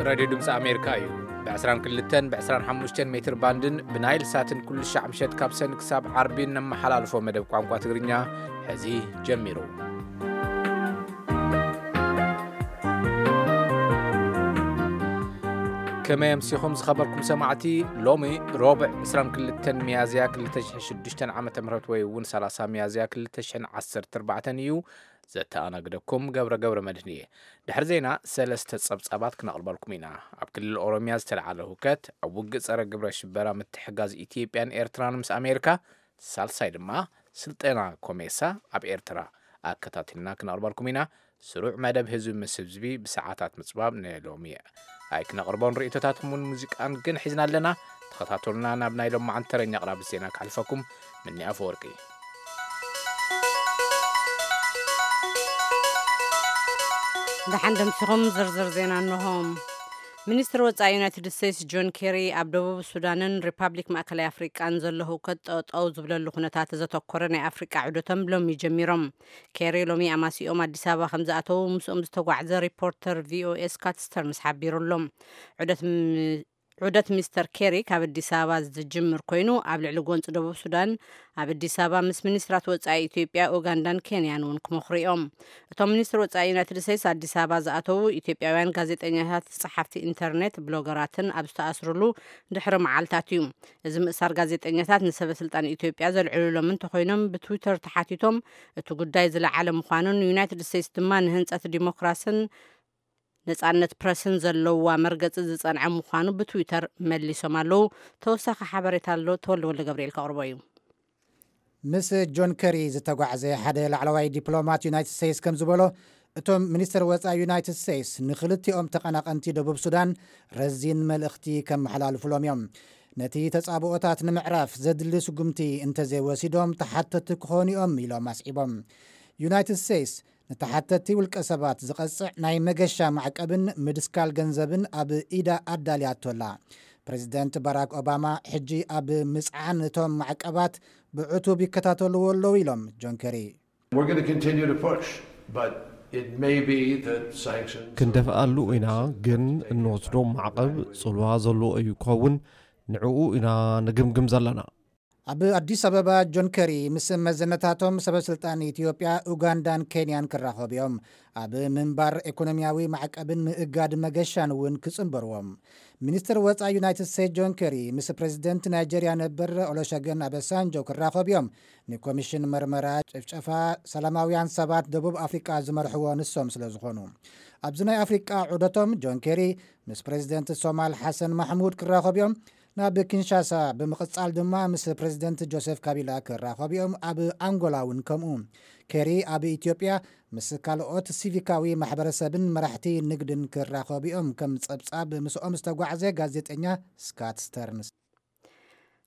ራድዮ ድምፂ ኣሜሪካ እዩ። ብ22 ብ25 ሜትር ባንድን ብናይል ሳትን ኩሉ ሻዕ ምሸት ካብ ሰን ክሳብ ዓርቢ እነመሓላልፎ መደብ ቋንቋ ትግርኛ ሕዚ ጀሚሩ። ከመይ ኣምሲኹም ዝኸበርኩም ሰማዕቲ? ሎሚ ሮብዕ 22 ሚያዝያ 2006 ዓ.ም ወይ እውን 30 ሚያዝያ 2014 እዩ። ዘተኣናግደኩም ገብረ ገብረ መድህን እየ። ድሕሪ ዜና ሰለስተ ጸብጻባት ክነቕርበልኩም ኢና። ኣብ ክልል ኦሮሚያ ዝተለዓለ ሁከት፣ ኣብ ውግእ ጸረ ግብረ ሽበራ ምትሕጋዝ ኢትዮጵያን ኤርትራን ምስ ኣሜሪካ፣ ሳልሳይ ድማ ስልጠና ኮሜሳ ኣብ ኤርትራ። ኣከታቲልና ክነቕርበልኩም ኢና። ስሩዕ መደብ ህዝቢ ምስ ህዝቢ ብሰዓታት ምጽባብ ንሎሚ ኣይክነቕርቦን ርእይቶታትኩም እውን ሙዚቃን ግን ሒዝና ኣለና። ተኸታተሉና። ናብ ናይ ሎማዓንቲ ተረኛ ኣቕራቢ ዜና ክሓልፈኩም ምኒ ኣፈወርቂ። ደሓን ደምሲኹም ዝርዝር ዜና እንሆ። ሚኒስትር ወጻኢ ዩናይትድ ስቴትስ ጆን ኬሪ ኣብ ደቡብ ሱዳንን ሪፓብሊክ ማእከላይ ኣፍሪቃን ዘሎ ህውከት ጠጠው ዝብለሉ ኩነታት ዘተኮረ ናይ ኣፍሪቃ ዑደቶም ሎሚ ጀሚሮም። ኬሪ ሎሚ ኣማሲኦም ኣዲስ ኣበባ ከም ዝኣተዉ ምስኦም ዝተጓዕዘ ሪፖርተር ቪኦኤ ስካት ስተርንስ ሓቢሩ ኣሎ። ዑደት ም-፣ ዑደት ሚስተር ኬሪ ካብ ኣዲስ ኣበባ ዝጅምር ኮይኑ ኣብ ልዕሊ ጎንፂ ደቡብ ሱዳን ኣብ ኣዲስ ኣበባ ምስ ሚኒስትራት ወጻኢ ኢትዮጵያ፣ ኡጋንዳን ኬንያን እውን ክመኽሩ እዮም። እቶም ሚኒስትር ወጻኢ ዩናይትድ ስቴትስ ኣዲስ ኣበባ ዝኣተዉ ኢትዮጵያውያን ጋዜጠኛታት፣ ጸሓፍቲ ኢንተርኔት፣ ብሎገራትን ኣብ ዝተኣስሩሉ ድሕሪ መዓልታት እዩ። እዚ ምእሳር ጋዜጠኛታት ንሰበ ስልጣን ኢትዮጵያ ዘልዕሉሎም እንተኾይኖም ብትዊተር ተሓቲቶም እቲ ጉዳይ ዝለዓለ ምዃኑን ዩናይትድ ስቴትስ ድማ ንህንጸት ዲሞክራስን ነጻነት ፕረስን ዘለዋ መርገጺ ዝጸንዐ ምዃኑ ብትዊተር መሊሶም ኣለዉ። ተወሳኺ ሓበሬታ ኣሎ፣ ተወልደ ወልደ ገብርኤል ከቕርቦ እዩ። ምስ ጆን ከሪ ዝተጓዕዘ ሓደ ላዕለዋይ ዲፕሎማት ዩናይትድ ስቴትስ ከም ዝበሎ፣ እቶም ሚኒስትር ወጻኢ ዩናይትድ ስቴትስ ንክልቲኦም ተቐናቐንቲ ደቡብ ሱዳን ረዚን መልእኽቲ ከመሓላልፉሎም እዮም። ነቲ ተጻብኦታት ንምዕራፍ ዘድሊ ስጉምቲ እንተዘይወሲዶም ተሓተቲ ክኾኑ እዮም ኢሎም ኣስዒቦም። ዩናይትድ ስቴትስ ንተሓተቲ ውልቀ ሰባት ዝቐጽዕ ናይ መገሻ ማዕቀብን ምድስካል ገንዘብን ኣብ ኢዳ ኣዳልያቶ ኣላ። ፕሬዚደንት ባራክ ኦባማ ሕጂ ኣብ ምጽዓን እቶም ማዕቀባት ብዕቱብ ይከታተልዎ ኣለዉ ኢሎም ጆን ከሪ። We're going to continue to push, but it may be that sanctions ክንደፍኣሉ ኢና፣ ግን እንወስዶ ማዕቐብ ጽልዋ ዘለዎ እዩ ክኸውን፣ ንዕኡ ኢና ንግምግም ዘለና። ኣብ ኣዲስ ኣበባ ጆን ከሪ ምስ መዘነታቶም ሰበ ስልጣን ኢትዮጵያ፣ ኡጋንዳን ኬንያን ክራኸቡ እዮም። ኣብ ምንባር ኢኮኖሚያዊ ማዕቀብን ምእጋድ መገሻን እውን ክጽንበርዎም። ሚኒስትር ወጻኢ ዩናይትድ ስቴትስ ጆን ከሪ ምስ ፕሬዚደንት ናይጀርያ ነበር ኦሎሸገን ኣበሳንጆ ክራኸቡ እዮም። ንኮሚሽን መርመራ ጭፍጨፋ ሰላማውያን ሰባት ደቡብ ኣፍሪቃ ዝመርሕዎ ንሶም ስለ ዝኾኑ። ኣብዚ ናይ ኣፍሪቃ ዑደቶም ጆን ከሪ ምስ ፕሬዚደንት ሶማል ሓሰን ማሕሙድ ክራኸቡ እዮም። ናብ ኪንሻሳ ብምቕጻል ድማ ምስ ፕሬዚደንት ጆሴፍ ካቢላ ክራኸቡ እዮም። ኣብ ኣንጎላ እውን ከምኡ። ኬሪ ኣብ ኢትዮጵያ ምስ ካልኦት ሲቪካዊ ማሕበረሰብን መራሕቲ ንግድን ክራኸቡ እዮም። ከም ጸብጻብ ምስኦም ዝተጓዕዘ ጋዜጠኛ ስካት ስተርንስ።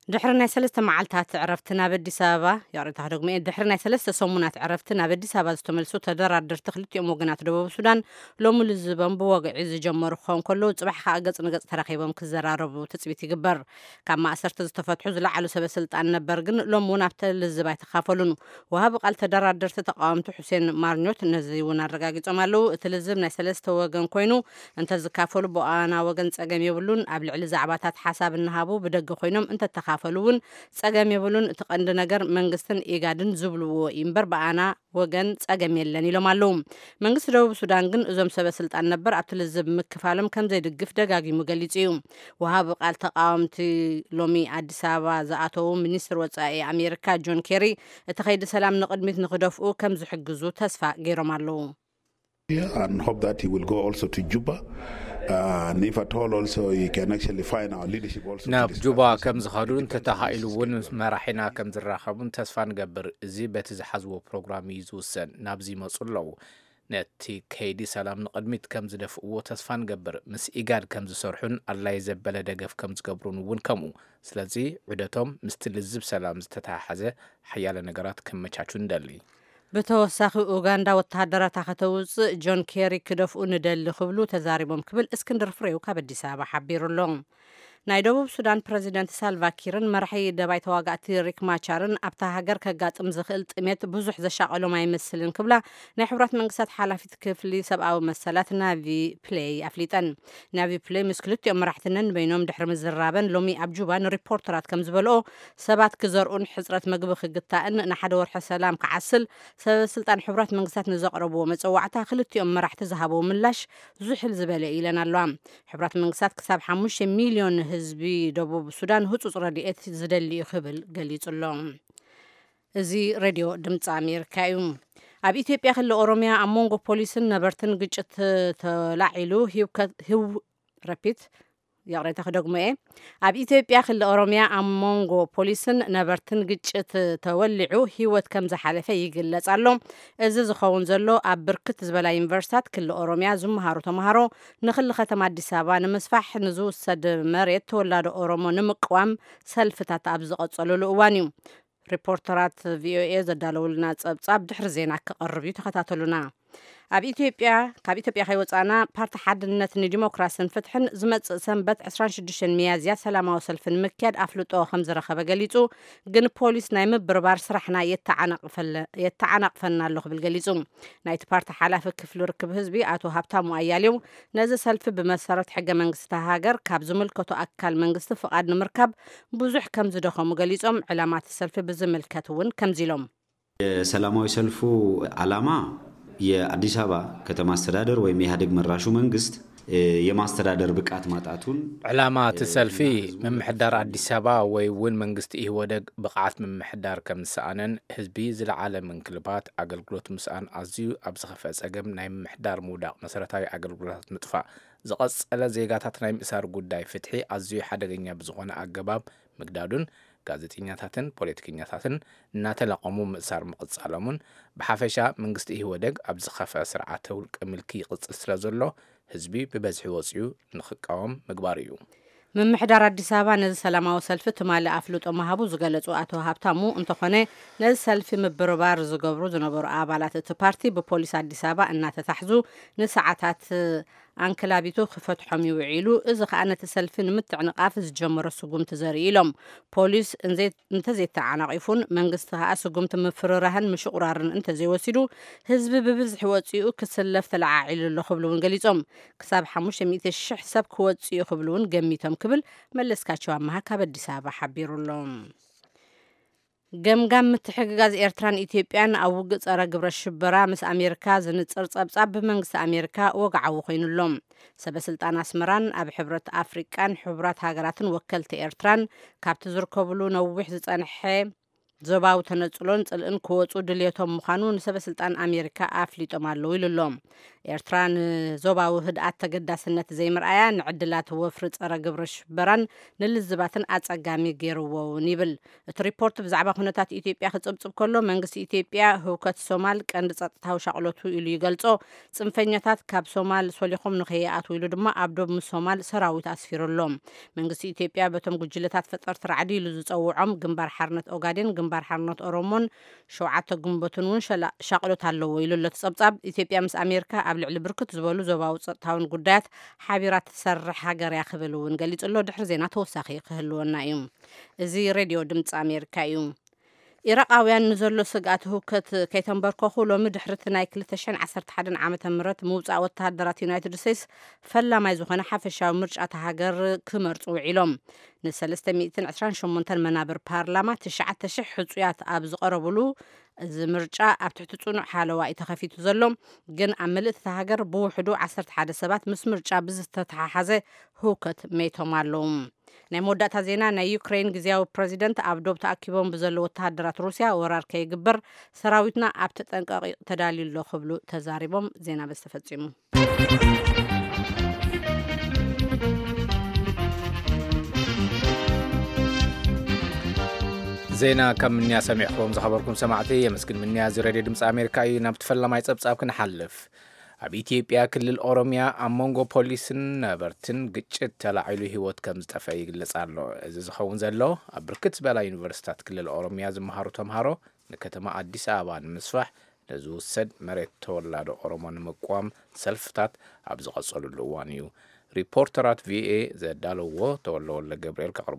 ድሕሪ ናይ ሰለስተ መዓልታት ዕረፍቲ ናብ ኣዲስ ኣበባ፣ ይቕሬታ ክደግሞ እየ፣ ድሕሪ ናይ ሰለስተ ሰሙናት ዕረፍቲ ናብ ኣዲስ ኣበባ ዝተመልሱ ተደራደርቲ ክልቲኦም ወገናት ደቡብ ሱዳን ሎሚ ልዝቦም ብወግዒ ዝጀመሩ ክኸውን ከለዉ፣ ጽባሕ ከኣ ገጽ ንገጽ ተራኺቦም ክዘራረቡ ትጽቢት ይግበር። ካብ ማእሰርቲ ዝተፈትሑ ዝለዓሉ ሰበ ስልጣን ነበር ግን ሎም እውን ኣብቲ ልዝብ ኣይተኻፈሉን። ወሃቢ ቃል ተደራደርቲ ተቃወምቲ ሑሴን ማርኞት ነዚ እውን ኣረጋጊጾም ኣለዉ። እቲ ልዝብ ናይ ሰለስተ ወገን ኮይኑ እንተዝካፈሉ ብኣና ወገን ጸገም የብሉን። ኣብ ልዕሊ ዛዕባታት ሓሳብ እናሃቡ ብደገ ኮይኖም እንተተኻፈሉ እውን ጸገም የብሉን። እቲ ቀንዲ ነገር መንግስትን ኢጋድን ዝብልዎ እዩ እምበር ብኣና ወገን ጸገም የለን ኢሎም ኣለዉ። መንግስቲ ደቡብ ሱዳን ግን እዞም ሰበ ስልጣን ነበር ኣብቲ ልዝብ ምክፋሎም ከም ዘይድግፍ ደጋጊሙ ገሊጹ እዩ። ወሃቢ ቃል ተቃወምቲ ሎሚ ኣዲስ ኣበባ ዝኣተዉ ሚኒስትር ወጻኢ ኣሜሪካ ጆን ኬሪ እቲ ከይዲ ሰላም ንቕድሚት ንክደፍኡ ከም ዝሕግዙ ተስፋ ገይሮም ኣለዉ። And hope that he will go also to Juba. Uh, and if at all also he can actually find our leadership also to ናብ discuss ጁባ this ከም ዝኸዱ እንተተኻኢሉ እውን ምስ መራሒና ከም ዝራኸቡን ተስፋ ንገብር። እዚ በቲ ዝሓዝዎ ፕሮግራም እዩ ዝውሰን። ናብዚ ይመፁ ኣለዉ። ነቲ ከይዲ ሰላም ንቕድሚት ከም ዝደፍእዎ ተስፋ ንገብር። ምስ ኢጋድ ከም ዝሰርሑን ኣድላይ ዘበለ ደገፍ ከም ዝገብሩን እውን ከምኡ። ስለዚ ዑደቶም ምስቲ ልዝብ ሰላም ዝተተሓሓዘ ሓያለ ነገራት ከመቻቹ ንደሊ። ብተወሳኺ ኡጋንዳ ወተሃደራታ ከተውፅእ ጆን ኬሪ ክደፍኡ ንደሊ ክብሉ ተዛሪቦም ክብል እስክንድር ፍሬው ካብ ኣዲስ ኣበባ ሓቢሩ ኣሎ። ናይ ደቡብ ሱዳን ፕረዚደንት ሳልቫ ኪርን መራሒ ደባይ ተዋጋእቲ ሪክ ማቻርን ኣብታ ሃገር ከጋጥም ዝኽእል ጥሜት ብዙሕ ዘሻቐሎም ኣይመስልን ክብላ ናይ ሕቡራት መንግስታት ሓላፊት ክፍሊ ሰብኣዊ መሰላት ናቪ ፕሌይ ኣፍሊጠን። ናቪ ፕሌይ ምስ ክልቲኦም መራሕቲ ነንበይኖም ድሕሪ ምዝራበን ሎሚ ኣብ ጁባ ንሪፖርተራት ከም ዝበልኦ ሰባት ክዘርኡን ሕፅረት መግቢ ክግታእን ንሓደ ወርሒ ሰላም ክዓስል ሰበ ስልጣን ሕቡራት መንግስታት ንዘቕረብዎ መፀዋዕታ ክልቲኦም መራሕቲ ዝሃብዎ ምላሽ ዝሕል ዝበለ ኢለን ኣለዋ። ሕቡራት መንግስታት ክሳብ ሓሙሽተ ሚልዮን ህዝቢ ደቡብ ሱዳን ህጹጽ ረድኤት ዝደሊ እዩ ክብል ገሊጹ ኣሎ። እዚ ሬድዮ ድምፂ ኣሜሪካ እዩ። ኣብ ኢትዮጵያ ክልል ኦሮሚያ ኣብ መንጎ ፖሊስን ነበርትን ግጭት ተላዒሉ ህውከት ህው ረፒት ይቕሬታ ክደግሞ እየ። ኣብ ኢትዮጵያ ክልል ኦሮሚያ ኣብ መንጎ ፖሊስን ነበርትን ግጭት ተወሊዑ ህይወት ከም ዝሓለፈ ይግለጽ ኣሎ። እዚ ዝኸውን ዘሎ ኣብ ብርክት ዝበላ ዩኒቨርሲታት ክልል ኦሮሚያ ዝመሃሩ ተምሃሮ ንክሊ ከተማ ኣዲስ ኣበባ ንምስፋሕ ንዝውሰድ መሬት ተወላዶ ኦሮሞ ንምቅዋም ሰልፍታት ኣብ ዝቐጸሉሉ እዋን እዩ። ሪፖርተራት ቪኦኤ ዘዳለውልና ጸብጻብ ድሕሪ ዜና ክቐርብ እዩ፣ ተኸታተሉና። ኣብ ኢትዮጵያ ካብ ኢትዮጵያ ከይወፃና ፓርቲ ሓድነት ንዲሞክራስን ፍትሕን ዝመፅእ ሰንበት ዕስራን ሽዱሽተን ሚያዝያ ሰላማዊ ሰልፊ ንምክያድ ኣፍልጦ ከም ዝረኸበ ገሊፁ። ግን ፖሊስ ናይ ምብርባር ስራሕና የተዓናቕፈለ- የተዓናቕፈና ኣሎ ክብል ገሊፁ። ናይቲ ፓርቲ ሓላፊ ክፍሊ ርክብ ህዝቢ ኣቶ ሃብታሙ ኣያሌው ነዚ ሰልፊ ብመሰረት ሕገ መንግስቲ ሃገር ካብ ዝምልከቶ ኣካል መንግስቲ ፍቓድ ንምርካብ ብዙሕ ከም ዝደኸሙ ገሊፆም። ዕላማ እቲ ሰልፊ ብዝምልከት እውን ከምዚ ኢሎም። የሰላማዊ ሰልፉ ዓላማ የአዲስ አበባ ከተማ አስተዳደር ወይም የኢህአዴግ መራሹ መንግስት የማስተዳደር ብቃት ማጣቱን ዕላማ እቲ ሰልፊ ምምሕዳር ኣዲስ ኣበባ ወይ እውን መንግስቲ ኢህወደግ ብቕዓት ምምሕዳር ከም ዝሰኣነን ህዝቢ ዝለዓለ ምንክልባት ኣገልግሎት ምስኣን ኣዝዩ ኣብ ዝኸፍአ ጸገም ናይ ምምሕዳር ምውዳቕ መሰረታዊ ኣገልግሎታት ምጥፋእ ዝቐጸለ ዜጋታት ናይ ምእሳር ጉዳይ ፍትሒ ኣዝዩ ሓደገኛ ብዝኾነ ኣገባብ ምግዳዱን ጋዜጠኛታትን ፖለቲከኛታትን እናተለቐሙ ምእሳር ምቕጻሎምን ብሓፈሻ መንግስቲ ኢህወደግ ኣብ ዝኸፍአ ስርዓተ ውልቀ ምልኪ ይቕጽል ስለ ዘሎ ህዝቢ ብበዝሒ ወጺኡ ንኽቃወም ምግባሩ እዩ። ምምሕዳር ኣዲስ ኣበባ ነዚ ሰላማዊ ሰልፊ ትማሊ ኣፍልጦ ምሃቡ ዝገለጹ ኣቶ ሃብታሙ እንተኾነ ነዚ ሰልፊ ምብርባር ዝገብሩ ዝነበሩ ኣባላት እቲ ፓርቲ ብፖሊስ ኣዲስ ኣበባ እናተታሕዙ ንሰዓታት ኣንክላቢቱ ክፈትሖም ይውዒሉ። እዚ ከዓ ነቲ ሰልፊ ንምትዕንቓፍ ዝጀመሮ ስጉምቲ ዘርኢ ኢሎም። ፖሊስ እንተዘይተዓናቒፉን መንግስቲ ከዓ ስጉምቲ ምፍርራህን ምሽቑራርን እንተዘይወሲዱ ህዝቢ ብብዝሒ ወፂኡ ክስለፍ ተለዓዒሉ ኣሎ ክብሉ እውን ገሊፆም። ክሳብ ሓሙሽተ ሚእቲ ሽሕ ሰብ ክወፅእ እዩ ክብሉ እውን ገሚቶም ክብል መለስካቸው ኣመሃ ካብ ኣዲስ ኣበባ ሓቢሩ ኣሎ። ገምጋም ምትሕግጋዝ ኤርትራን ኢትዮጵያን ኣብ ውግእ ጸረ ግብረ ሽበራ ምስ ኣሜሪካ ዝንጽር ጸብጻብ ብመንግስቲ ኣሜሪካ ወግዓዊ ኮይኑሎም። ሰበ ስልጣን ኣስመራን ኣብ ሕብረት ኣፍሪቃን ሕቡራት ሃገራትን ወከልቲ ኤርትራን ካብቲ ዝርከብሉ ነዊሕ ዝጸንሐ ዞባዊ ተነጽሎን ጽልእን ክወጹ ድልየቶም ምዃኑ ንሰበ ስልጣን ኣሜሪካ ኣፍሊጦም ኣለዉ ኢሉ ኣሎ። ኤርትራ ንዞባዊ ህድኣት ተገዳስነት ዘይምርኣያ ንዕድላት ወፍሪ ጸረ ግብረ ሽበራን ንልዝባትን ኣጸጋሚ ገይርዎ እውን ይብል። እቲ ሪፖርት ብዛዕባ ኩነታት ኢትዮጵያ ክጽብጽብ ከሎ መንግስቲ ኢትዮጵያ ህውከት ሶማል ቀንዲ ጸጥታዊ ሻቕሎቱ ኢሉ ይገልጾ። ጽንፈኛታት ካብ ሶማል ሶሊኾም ንኸይኣትዉ ኢሉ ድማ ኣብ ዶብ ምስ ሶማል ሰራዊት ኣስፊሩ ኣሎ። መንግስቲ ኢትዮጵያ በቶም ጉጅለታት ፈጠርቲ ራዕዲ ኢሉ ዝጸውዖም ግንባር ሓርነት ኦጋዴን፣ ግንባር ሓርነት ኦሮሞን ሸውዓተ ግንቦትን እውን ሻቕሎት ኣለዎ ኢሉ ኣሎ እቲ ጸብጻብ። ኢትዮጵያ ምስ ኣሜሪካ ኣብ ልዕሊ ብርክት ዝበሉ ዞባዊ ጸጥታውን ጉዳያት ሓቢራ ትሰርሕ ሃገር እያ ክብል እውን ገሊጹ ኣሎ። ድሕሪ ዜና ተወሳኺ ክህልወና እዩ። እዚ ሬድዮ ድምፂ ኣሜሪካ እዩ። ኢራቃውያን ንዘሎ ስግኣት ህውከት ከይተንበርከኹ ሎሚ ድሕሪ እቲ ናይ ክልተ ሽሕን ዓሰርተ ሓደን ዓመተ ምህረት ምውፃእ ወተሃደራት ዩናይትድ ስቴትስ ፈላማይ ዝኾነ ሓፈሻዊ ምርጫ እታ ሃገር ክመርፁ ውዒሎም። ንሰለስተ ሚእትን ዕስራን ሸሞንተን መናብር ፓርላማ ትሽዓተ ሽሕ ሕፁያት ኣብ ዝቐረብሉ እዚ ምርጫ ኣብ ትሕቲ ፅኑዕ ሓለዋ እዩ ተኸፊቱ ዘሎ። ግን ኣብ ምልእቲ እታ ሃገር ብውሕዱ ዓሰርተ ሓደ ሰባት ምስ ምርጫ ብዝተተሓሓዘ ህውከት መይቶም ኣለዉ። ናይ መወዳእታ ዜና። ናይ ዩክሬን ግዜያዊ ፕረዚደንት ኣብ ዶብ ተኣኪቦም ብዘለዉ ወተሃደራት ሩስያ ወራር ከይግበር ሰራዊትና ኣብ ተጠንቀቒ ተዳልዩ ኣሎ ክብሉ ተዛሪቦም። ዜና በዚ ተፈጺሙ። ዜና ከም ምንያ ሰሚዕኹም ዝኸበርኩም ሰማዕቲ የመስግን። ምንያ እዚ ሬድዮ ድምፂ ኣሜሪካ እዩ። ናብቲ ፈላማይ ፀብፃብ ክንሓልፍ። ኣብ ኢትዮጵያ ክልል ኦሮሚያ ኣብ መንጎ ፖሊስን ነበርትን ግጭት ተላዒሉ ህይወት ከም ዝጠፍአ ይግለጽ ኣሎ። እዚ ዝኸውን ዘሎ ኣብ ብርክት ዝበላ ዩኒቨርሲታት ክልል ኦሮሚያ ዝመሃሩ ተምሃሮ ንከተማ ኣዲስ ኣበባ ንምስፋሕ ንዝውሰድ መሬት ተወላዶ ኦሮሞ ንምቅዋም ሰልፍታት ኣብ ዝቐጸሉሉ እዋን እዩ። ሪፖርተራት ቪኦኤ ዘዳለዎ ተወልደ ወልደ ገብርኤል ከቕርቦ።